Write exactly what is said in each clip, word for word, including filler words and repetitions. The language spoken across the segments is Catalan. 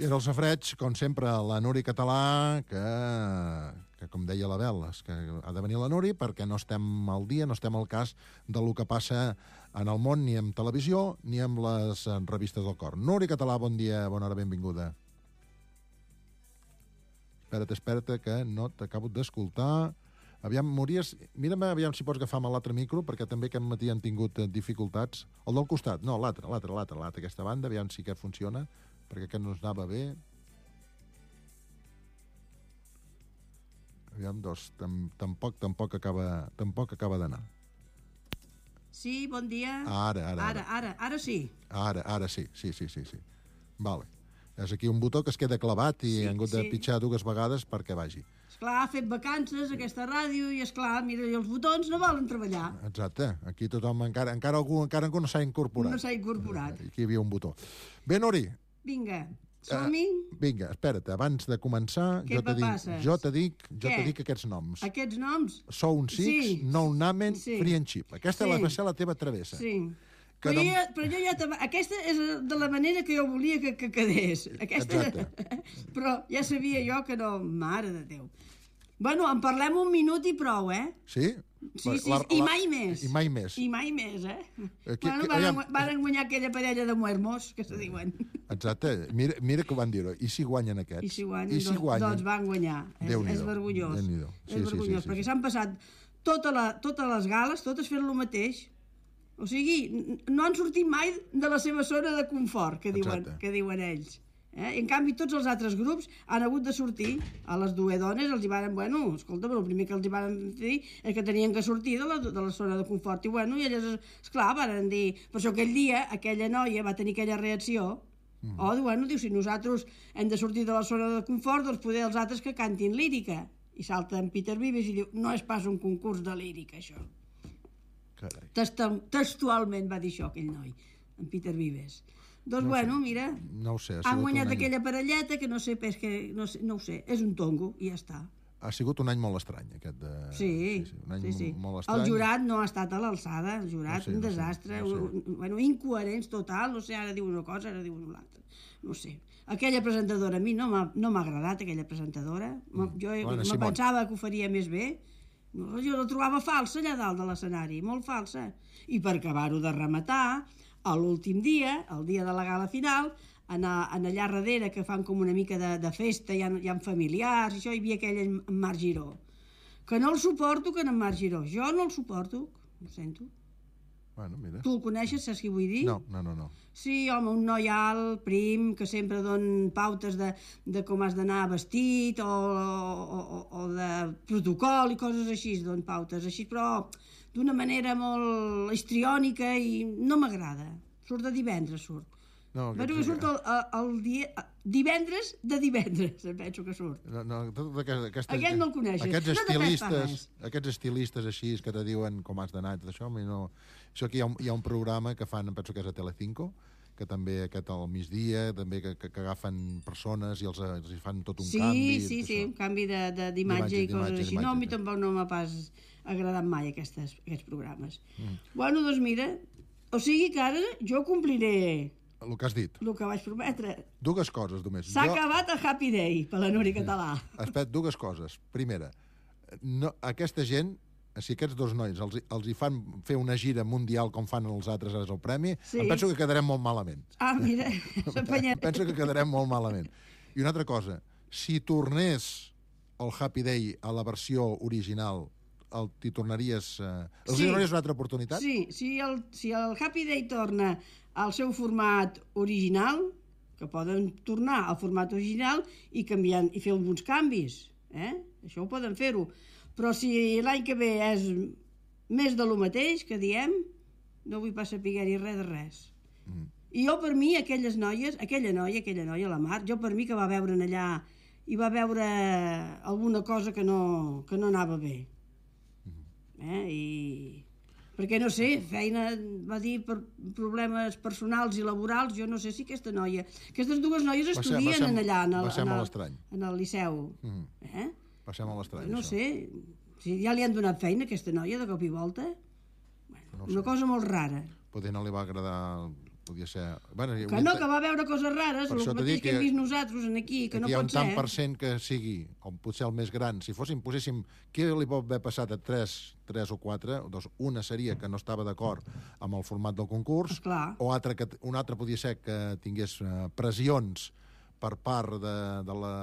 I era el safreig, com sempre, la Nuri Català, que, que com deia la Bel, és que ha de venir la Nuri perquè no estem al dia, no estem al cas del que passa en el món, ni en televisió, ni en les revistes del cor. Nuri Català, bon dia, bona hora, benvinguda. Espera't, espera't, que no t'acabo d'escoltar. Aviam, Mories, mira'm aviam si pots agafar amb l'altre micro, perquè també aquest matí han tingut dificultats. El del costat, no, l'altre, l'altre, l'altre, l'altre, aquesta banda, aviam si aquest funciona, perquè aquest no ens anava bé. Aviam, dos, tam, tampoc, tampoc acaba, tampoc acaba d'anar. Sí, bon dia. Ara, ara, ara. Ara, ara, ara sí. Ara, ara sí, sí, sí, sí, sí. Vale. És aquí un botó que es queda clavat i sí, han hagut de sí. pitjar dues vegades perquè vagi. Esclar, ha fet vacances aquesta ràdio i, esclar, mira, i els botons no volen treballar. Exacte. Aquí tothom, encara, encara algú, encara algú no s'ha incorporat. No s'ha incorporat. Aquí hi havia un botó. Bé, Nuri. Vinga, som-hi. Uh, vinga, espera't, abans de començar, Què jo te dic, jo te dic, jo Què? te dic aquests noms. Aquests noms? Sound Six, sí. No Namen, sí. Free and Cheap. Aquesta sí. va ser la teva travessa. Sí. Que però, no... jo, però jo ja... Aquesta és de la manera que jo volia que, que quedés. Aquesta... Exacte. Però ja sabia jo que no... Mare de Déu. Bueno, en parlem un minut i prou, eh? Sí? Sí, sí, la, la, i mai més. I mai més. I mai més, eh? Aquí, bueno, van, van guanyar aquella parella de muermos, que se diuen. Exacte. Mira, mira que van dir-ho. I si guanyen aquests? I si guanyen, I si doncs, guanyen? doncs van guanyar. És, és vergonyós. Sí, és vergonyós, sí, sí, perquè sí. s'han passat tota la, totes les gales, totes fent el mateix. O sigui, no han sortit mai de la seva zona de confort, que diuen, que diuen ells. Eh? En canvi, tots els altres grups han hagut de sortir. A les dues dones els hi van... Bueno, escolta, el primer que els hi van dir és que tenien que sortir de la, de la zona de confort. I bueno, i elles, esclar, van dir... Per això aquell dia, aquella noia va tenir aquella reacció. Mm. O, bueno, diu, si nosaltres hem de sortir de la zona de confort, doncs poder els altres que cantin lírica. I salta en Peter Vives i diu, no és pas un concurs de lírica, això. Carai. Textualment va dir això aquell noi, en Peter Vives. Doncs no bueno, sé. mira, no ho sé, han guanyat aquella parelleta que no sé, és que no, sé, no ho sé, és un tongo i ja està. Ha sigut un any molt estrany, aquest de... Sí, sí, sí, un any sí, sí. molt estrany. El jurat no ha estat a l'alçada, el jurat, no sé, un no desastre, sé, no sé. un, bueno, incoherents total, no sé, ara diu una cosa, ara diu una altra, no sé. Aquella presentadora, a mi no m'ha no agradat, aquella presentadora, mm. jo bueno, me Simón. pensava que ho faria més bé, jo la trobava falsa allà dalt de l'escenari, molt falsa. I per acabar-ho de rematar, a l'últim dia, el dia de la gala final, en, a, en allà darrere, que fan com una mica de, de festa, hi ha, hi ha familiars, i això, hi havia aquell en Marc Giró. Que no el suporto, que en Marc Giró. Jo no el suporto, ho sento. Bueno, mira. Tu el coneixes, saps què vull dir? No, no, no, no. Sí, home, un noi alt, prim, que sempre don pautes de, de com has d'anar vestit o, o, o de protocol i coses així, don pautes així, però d'una manera molt histriònica i no m'agrada. Surt de divendres, surt. No, penso que surt el, el dia, divendres de divendres, em penso que surt. No, no, tot aquesta, aquesta, Aquest no el coneixes. Aquests no estilistes, aquests estilistes així que te diuen com has d'anar i tot això, no... Això aquí hi ha, un, hi ha un programa que fan, em penso que és a Telecinco, que també aquest al migdia, també que, que, que agafen persones i els, els fan tot un sí, canvi. Sí, sí, un canvi d'imatge i coses així. No, a mi sí. tampoc no m'ha pas agradat mai aquestes, aquests programes. Mm. Bueno, doncs mira, o sigui que ara jo compliré... El que has dit. El que vaig prometre. Dues coses, només. S'ha jo... acabat el Happy Day per la Nuri Català. Espera, dues coses. Primera, no, aquesta gent, si aquests dos nois els, els hi fan fer una gira mundial com fan els altres ara al premi, sí. em penso que quedarem molt malament. Ah, mira, s'empenyem. Penso que quedarem molt malament. I una altra cosa, si tornés el Happy Day a la versió original, el, t'hi tornaries... Eh, els sí. donaries una altra oportunitat? Sí, si el, si el Happy Day torna al seu format original, que poden tornar al format original i canviar i fer alguns canvis, eh? Això ho poden fer-ho. Però si l'any que ve és més de lo mateix, que diem, no vull pas saber-hi res de res. Mm. I jo, per mi, aquelles noies, aquella noia, aquella noia, la Mar, jo per mi que va veure allà i va veure alguna cosa que no, que no anava bé. Eh? I... perquè no sé, feina, va dir, per problemes personals i laborals, jo no sé si aquesta noia... Aquestes dues noies estudien va ser, va ser, allà, en el, va ser en, molt el, estrany. En el Liceu. Mm. Eh? Va ser molt estrany, no això. sé, si ja li han donat feina a aquesta noia de cop i volta, bueno, no una cosa molt rara. Potser no li va agradar Podia ser... Bueno, que no, que va veure coses rares, el mateix que hem vist nosaltres aquí, que no pot ser. Hi ha un tant per cent que sigui, o potser el més gran. Si fóssim, poséssim, què li pot haver passat a tres, tres o quatre? Doncs una seria que no estava d'acord amb el format del concurs, esclar. O altra que, una altra podia ser que tingués uh, pressions per part de, de la...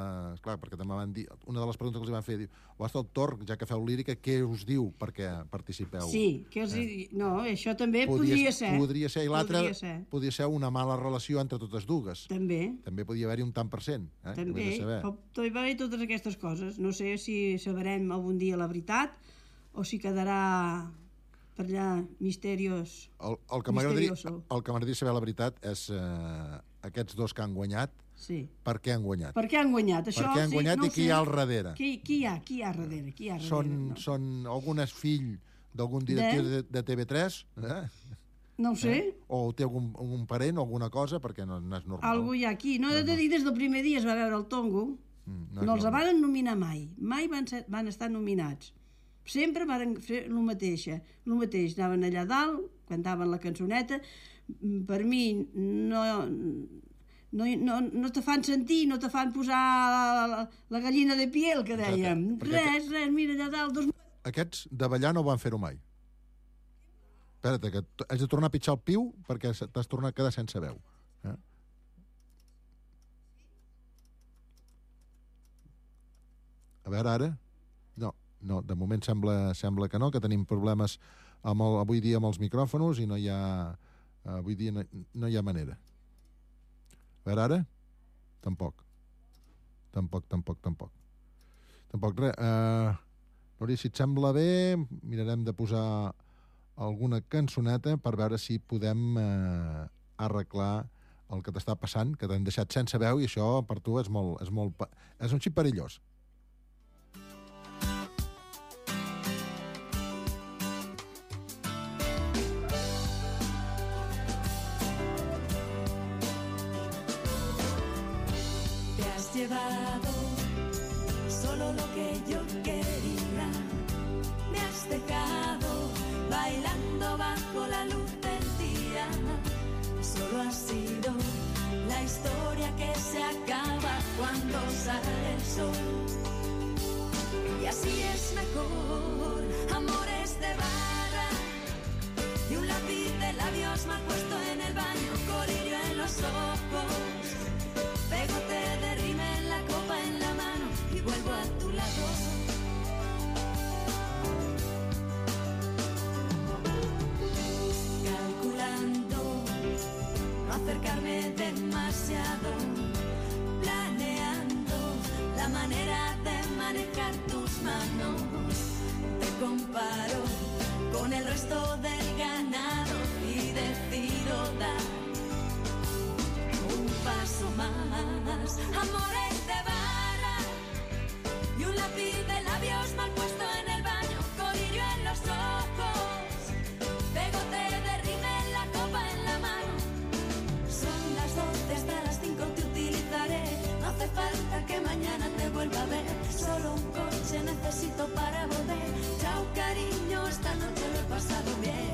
Clar, perquè també van dir... Una de les preguntes que els van fer, diu, o hasta el torn, ja que feu lírica, què us diu perquè participeu? Sí, que els... Eh? No, això també podria, podria ser. Podria ser, i l'altra podria, podria ser una mala relació entre totes dues. També. També podia haver-hi un tant per cent. Eh? També, pot haver-hi totes aquestes coses. No sé si sabrem algun dia la veritat, o si quedarà per allà misteriós. El, el que m'agradaria saber la veritat és eh, aquests dos que han guanyat, sí. Per què han guanyat? Per què han guanyat? Això, per què han sí, guanyat no i qui hi ha al darrere? Qui, qui hi ha? Qui hi ha darrere? Qui hi ha darrere? Són, no. són algunes fill d'algun directiu de, de T V tres? Eh? No ho sé. Eh? O té algun, algun parent o alguna cosa, perquè no, no és normal. Algú hi ha aquí. No, he de dir, des del primer dia es va veure el Tongo. Mm, no no els normal. Van nominar mai. Mai van, ser, van estar nominats. Sempre van fer el mateix. El mateix. Anaven allà dalt, cantaven la cançoneta. Per mi no... No, no, no te fan sentir, no te fan posar la, la gallina de piel, que dèiem. Exacte. Res, res, mira allà dalt. Dos... Aquests de ballar no van fer-ho mai. Espera't, que has de tornar a pitjar el piu perquè t'has tornat a quedar sense veu. Eh? A veure, ara... No, no, de moment sembla, sembla que no, que tenim problemes amb el, avui dia amb els micròfons i no hi ha... Avui dia no, no hi ha manera. A veure, ara? Tampoc. Tampoc, tampoc, tampoc. Tampoc res. Uh, Núria, si et sembla bé, mirarem de posar alguna cançoneta per veure si podem uh, arreglar el que t'està passant, que t'han deixat sense veu, i això per tu és molt... És, molt, és un xip perillós. Llevado solo lo que yo quería, me has dejado bailando bajo la luz del día, solo ha sido la historia que se acaba cuando sale el sol, y así es mejor, amores de barra y un lápiz de labios mal puesto en el baño, colirio en los ojos, pegote de rime en la copa en la mano y vuelvo a tu lado. Calculando no acercarme demasiado, planeando la manera de manejar tus manos. Te comparo con el resto del ganado y decido dar un paso más. Amores de barra y un lápiz de labios mal puesto en el baño, colirio en los ojos, pegote de rime en la copa en la mano. Son las doce, hasta las cinco te utilizaré, no hace falta que mañana te vuelva a ver, solo un coche necesito para volver. Chao cariño, esta noche lo he pasado bien.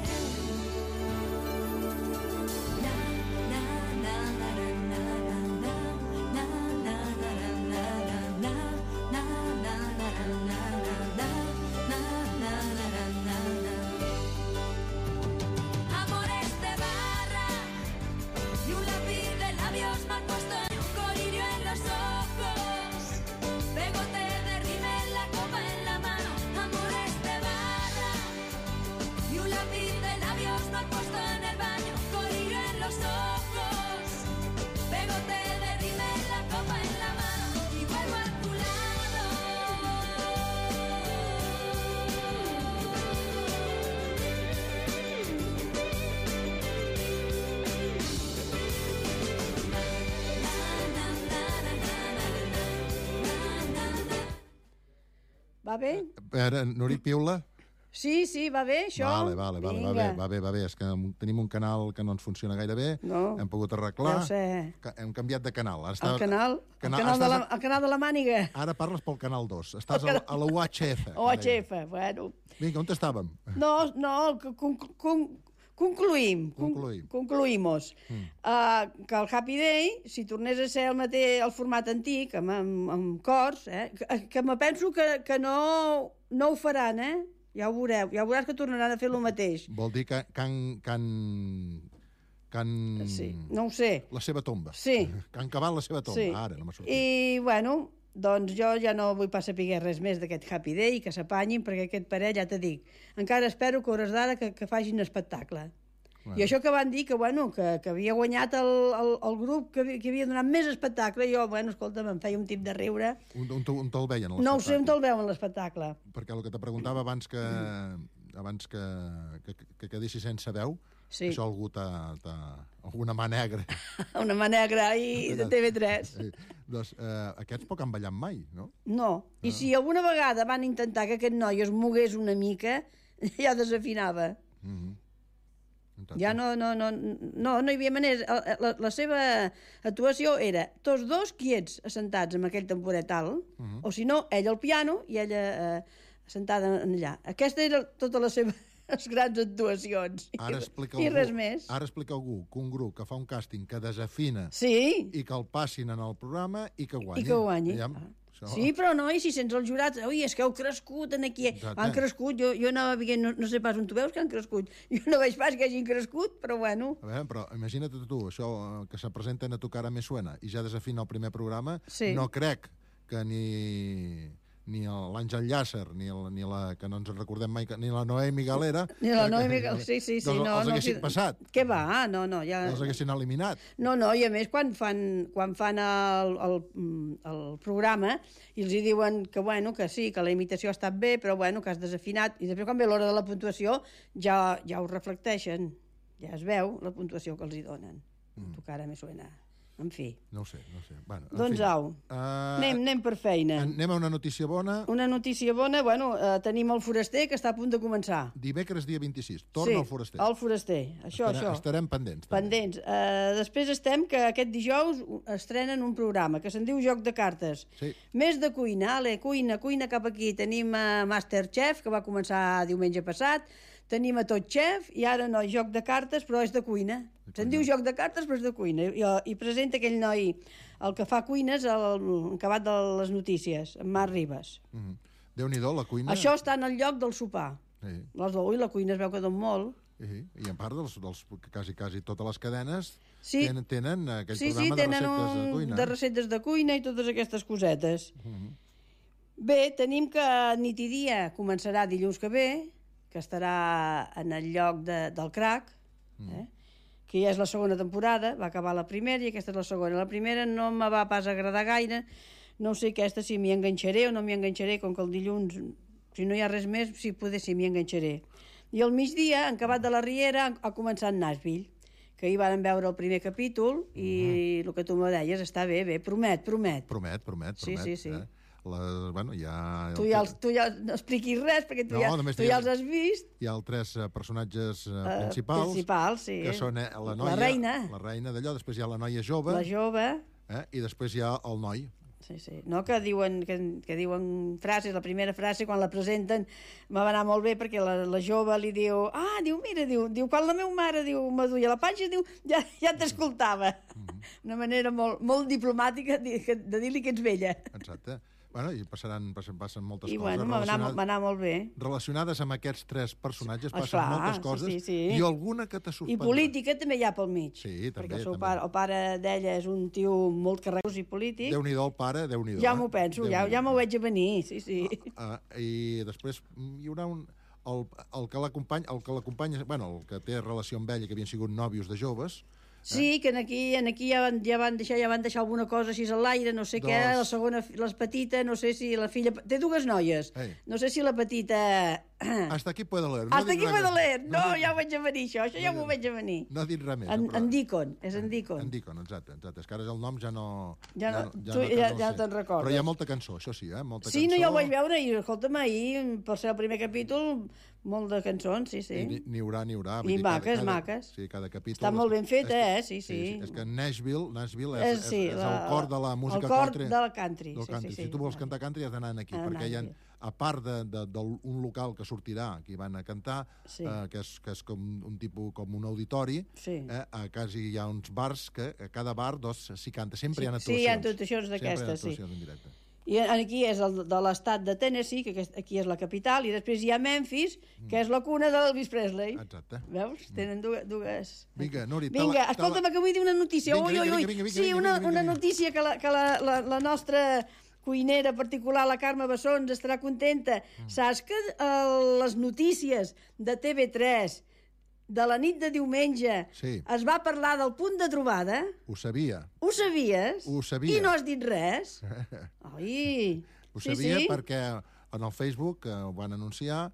Va bé? Ara, Núria, piula? Sí, sí, va bé, això? Vale, vale, vale, va bé, va bé, va bé. És que tenim un canal que no ens funciona gaire bé, no. Hem pogut arreglar, Deu ser. Hem canviat de canal. Ara està... el, canal, canal, el, canal de la, el canal de la Màniga. Ara parles pel canal dos, estàs canal... a la U H F. U H F, bueno. Vinga, on estàvem? No, no, con, con, concluïm. Concluïm. Concluïmos. Mm. Uh, que el Happy Day, si tornés a ser el mateix, el format antic, amb, amb, amb cors, eh, que, que me penso que, que no, no ho faran, eh? Ja ho veureu. Ja veuràs que tornaran a fer el mateix. Vol dir que, que, han, que han... que han... Sí, no ho sé. La seva tomba. Sí. Que han cavat la seva tomba. Sí. Ara no m'ha sortit. I, bueno, doncs jo ja no vull pas saber res més d'aquest Happy Day i que s'apanyin, perquè aquest parell, ja te dic, encara espero que hores d'ara que, que facin espectacle. Bueno. I això que van dir, que, bueno, que, que havia guanyat el, el, el grup que, que havia donat més espectacle, jo, bueno, escolta, em feia un tip de riure. On, on, on te'l veien, l'espectacle? No ho sé on te'l veuen, l'espectacle. Perquè el que te preguntava abans que, abans que, que, que quedessis sense veu, sí. Això algú t'ha... alguna mà negra. Una mà negra i de T V tres. Sí. Doncs eh, aquests poc han ballat mai, no? No. I ah. si alguna vegada van intentar que aquest noi es mogués una mica, ja desafinava. Mm-hmm. Ja no, no, no, no, no hi havia manera. La, la seva actuació era tots dos quiets, assentats amb aquell temporet alt, uh-huh. o si no, ell al piano i ella eh, assentada allà. Aquesta era tota la seva les grans actuacions. Ara explica I, algú, i res més. Ara explica algú que un grup que fa un càsting que desafina sí. i que el passin en el programa i que guanyi. I que guanyi. Ja, ah. Sí, però no, i si sents els jurats, ui, és que heu crescut en aquí, Exacte. Han crescut, jo, jo anava veient, no, no sé pas on tu veus que han crescut, jo no veig pas que hagin crescut, però bueno. A veure, però imagina't tu, això que se presenten a tu cara me suena i ja desafina el primer programa, sí. No crec que ni... ni l'Àngel Llàcer, ni, el, ni la, que no ens recordem mai, ni la Noemi Galera... Ni la Noemi Galera, sí, sí, sí. Doncs no, els no, haguessin sí, passat. Què va? No, no, ja... Els haguessin eliminat. No, no, i a més, quan fan, quan fan el, el, el programa i els hi diuen que, bueno, que sí, que la imitació ha estat bé, però, bueno, que has desafinat, i després, quan ve l'hora de la puntuació, ja, ja ho reflecteixen. Ja es veu la puntuació que els hi donen. Mm. Tu cara me suena... En fi. No ho sé, no ho sé. Bueno, doncs au, uh, anem, anem per feina. Anem a una notícia bona. Una notícia bona, bueno, uh, tenim el Foraster, que està a punt de començar. Dimecres, dia vint-i-sis, torna sí, el Foraster. el Foraster, això, Estarem, això. Estarem pendents. També. Pendents. Uh, després estem que aquest dijous estrenen un programa que se'n diu Joc de Cartes. Sí. Més de cuina, ale, cuina, cuina cap aquí. Tenim uh, Masterchef, que va començar diumenge passat. Tenim a Tot Chef i ara no, Joc de Cartes, però és de cuina. Se'n diu Joc de Cartes, però és de cuina. I, i presenta aquell noi, el que fa cuines, el acabat de les notícies, en Marc Ribas. Mm-hmm. Déu-n'hi-do, la cuina... Això està en el lloc del sopar. Sí. Les d'avui, la cuina es veu que don molt. Sí. I en part, dels, dels, quasi, quasi totes les cadenes sí. tenen, tenen aquell sí, programa sí, de receptes un, de cuina. de receptes de cuina i totes aquestes cosetes. Mm-hmm. Bé, tenim que Nit i Dia començarà dilluns que ve, que estarà en el lloc de, del Crac, mm. eh? que ja és la segona temporada, va acabar la primera i aquesta és la segona. La primera no me va pas agradar gaire, no sé aquesta si m'hi enganxaré o no m'hi enganxaré, com que el dilluns, si no hi ha res més, si poder si m'hi enganxaré. I al migdia, en Cabat de la Riera, ha començat Nashville, que ahir varen veure el primer capítol i mm. el que tu me deies està bé, bé, promet, promet. Promet, promet, promet. Sí, sí, sí. Eh? Les, bueno, ja... Tu ja, els, tu ja no expliquis res, perquè tu, no, ja, tu ja els has vist. Hi ha els tres uh, personatges uh, principals, uh, principals sí. que són eh, la noia, la reina, la reina d'allò, després hi ha la noia jove, la jove. Eh, i després hi ha el noi. Sí, sí. No, que diuen, que, que diuen frases, la primera frase, quan la presenten, me va anar molt bé, perquè la, la jove li diu, ah, diu, mira, diu, diu quan la meva mare diu, me duia la panxa, diu, ja, ja t'escoltava. Mm-hmm. Una manera molt, molt diplomàtica de, de dir-li que ets vella. Exacte. Bueno, i passaran, passen, passen moltes I coses bueno, va anar, va anar molt bé. Relacionades amb aquests tres personatges, passen Esclar, moltes coses, sí, sí, sí. i alguna que te sorprendrà. I política també hi ha pel mig. Sí, també. Perquè el, seu també. pare, el pare d'ella és un tio molt carregós i polític. Déu-n'hi-do el pare, Déu-n'hi-do. Ja m'ho penso, ja, ja m'ho veig a venir, sí, sí. Uh, uh, I després hi haurà un... El, el que l'acompanya, el que l'acompanya, bueno, el que té relació amb ella, que havien sigut nòvios de joves... Sí, que en aquí, en aquí ja, van, ja, van deixar, ja van deixar alguna cosa així a l'aire, no sé Dos. què, la segona, la petita, no sé si la filla... Té dues noies, Ei. no sé si la petita... Hasta aquí puedo leer. No Hasta aquí puedo leer. No, no ja ho veig a venir, això, això no ja m'ho veig a venir. No ha dit res més. En, però... en Dicon, és en Dicon. En Dicon, exacte, exacte. És que ara el nom ja no... Ja no, ja, tu, no, ja, no ja te'n recordes. Però hi ha molta cançó, això sí, eh? Molta sí, cançó. no, ja ho vaig veure, i escolta'm, ahir, per ser el primer capítol, molt de cançons, sí, sí. I n'hi haurà, n'hi haurà. I maques, cada, maques. Sí, cada capítol... Està molt ben feta, eh? Sí, sí. sí, sí. És que Nashville, Nashville és, és, sí, és, és la, el cor de la música country. El cor country. de la country. Del country. Sí, sí, sí. Si tu vols cantar country has d'anar aquí, ah, perquè hi ha, a part d'un local que sortirà, que hi van a cantar, Sí. eh, que, és, que és com un tipus com un auditori, Sí. eh, a quasi hi ha uns bars que a cada bar doncs, s'hi canta. Sempre Sí, hi ha sí, actuacions. hi ha actuacions d'aquestes, sí. Sempre hi ha actuacions en directe. I aquí és el de l'estat de Tennessee, que aquest- aquí és la capital, i després hi ha Memphis, que és la cuna de l'Elvis Presley. Exacte. Veus? Tenen dues... dues... Vinga, Nuri, Vinga, tala- escolta'm, tala- que vull dir una notícia. Vinga, Ui, ui, vinga, ui. vinga, vinga, Sí, vinga, una, vinga, una vinga. notícia que, la, que la, la, la nostra cuinera particular, la Carme Bessons, estarà contenta. Mm. Saps que eh, les notícies de T V tres de la nit de diumenge Sí. es va parlar del punt de trobada? Ho sabia. Ho sabies? Ho sabia. I no has dit res? Ai... Ho sí, sabia sí. perquè en el Facebook eh, ho van anunciar,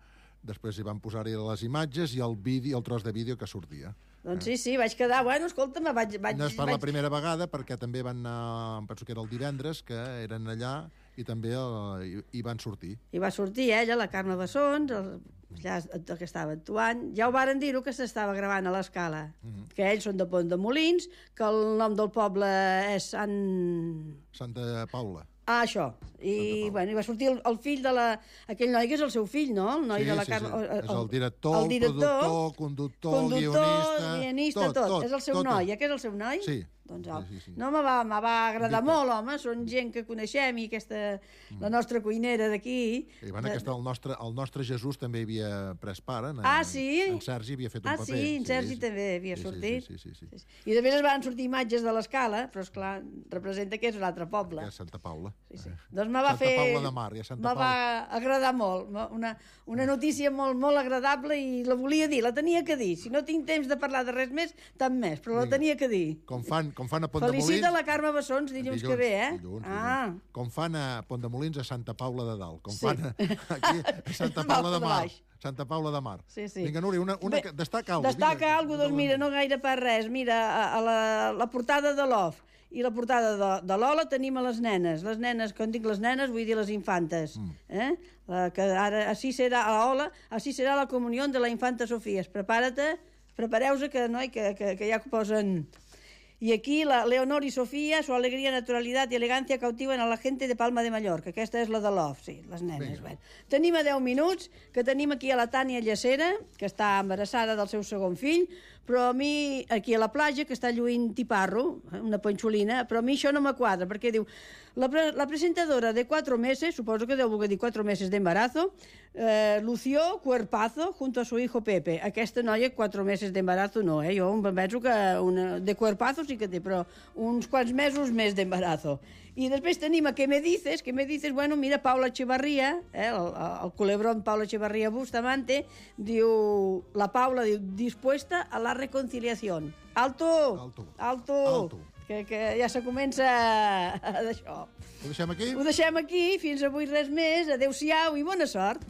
després hi van posar-hi les imatges i el vídeo, el tros de vídeo que sortia. Doncs sí, sí, vaig quedar... Bueno, escolta'm, vaig... vaig No és per vaig... la primera vegada, perquè també van anar, em penso que era el divendres, que eren allà i també eh, hi, hi van sortir. I va sortir ella, la Carme Bessons, el, allà el que estava actuant. Ja ho varen dir-ho, que s'estava gravant a l'Escala. Mm -hmm. Que ells són de Pont de Molins, que el nom del poble és Sant... Santa Paula. Ah, això. I, bueno, i va sortir el, el fill de la... Aquell noi que és el seu fill, no? El noi Sí, de la sí, Carme... sí. És el director, el productor, conductor, conductor, guionista... guionista, tot, tot. És el seu tot, noi. tot. Aquest és el seu noi? Sí. Doncs, Sí, au. sí, sí. No, me va, me va agradar Dita. molt, home. Són gent que coneixem i aquesta... La nostra cuinera d'aquí... I bueno, aquesta, el, nostre, el nostre Jesús també hi havia pres part. En, Ah, sí? En Sergi havia fet un Ah, paper. sí? En Sergi també havia sí, sortit? Sí, sí, sí. sí, sí. I després es van sortir imatges de l'Escala, però, esclar, representa que és un altre poble. Que és Santa Paula. Sí, sí. Doncs me va Santa fer... Paula de Mar, ja Santa me va agradar molt. Una, una notícia molt, molt agradable i la volia dir, la tenia que dir. Si no tinc temps de parlar de res més, tant més, però la Vinga. tenia que dir. Com fan, com fan a Pont de Molins... Felicita la Carme Bessons dilluns, que ve, eh? Dilluns, ah. dilluns. Com fan a Pont de Molins a Santa Paula de Dalt. Com Sí. fan a, aquí a Santa Paula de de Mar. baix. Santa Paula de Mar. Sí, sí. Vinga, Núria, una, una, Bé, que- destaca alguna cosa. Destaca alguna cosa, doncs mira, no gaire per res. Mira, a, a la, la portada de l'O F i la portada de, de l'Ola tenim a les nenes. Les nenes, quan dic les nenes, vull dir les infantes. Mm. Eh? La, que ara, així serà, a l'Ola, així serà la comunió de la infanta Sofia. Prepara-te, prepareu-se, que, no, que, que, que ja posen... Y aquí la Leonor y Sofía, su alegría, naturalidad y elegancia cautiven a la gente de Palma de Mallorca. Aquesta és la de l'O F, sí, les nenes. Bueno. Tenim a deu minuts, que tenim aquí a la Tània Llacera, que està embarassada del seu segon fill, però a mi, aquí a la platja, que està lluint tiparro, una ponxolina, però a mi això no me quadra, perquè diu, la, pre la presentadora de cuatro meses, suposo que deu voler dir cuatro meses de embarazo, eh, lució cuerpazo junto a su hijo Pepe. Aquesta noia, cuatro meses de embarazo no, eh? Jo em penso que una, de cuerpazo sí que té, però uns quants mesos més d'embarazo. I després tenim a Què me dices, Què me dices, bueno, mira, Paula Echevarría, eh, el, el culebrón Paula Echevarría Bustamante, diu, la Paula diu, dispuesta a la reconciliación. Alto! Alto. Alto! Alto. Que, que ja se comença d'això. Ho deixem aquí? Ho deixem aquí, fins avui res més, adeu-siau i bona sort.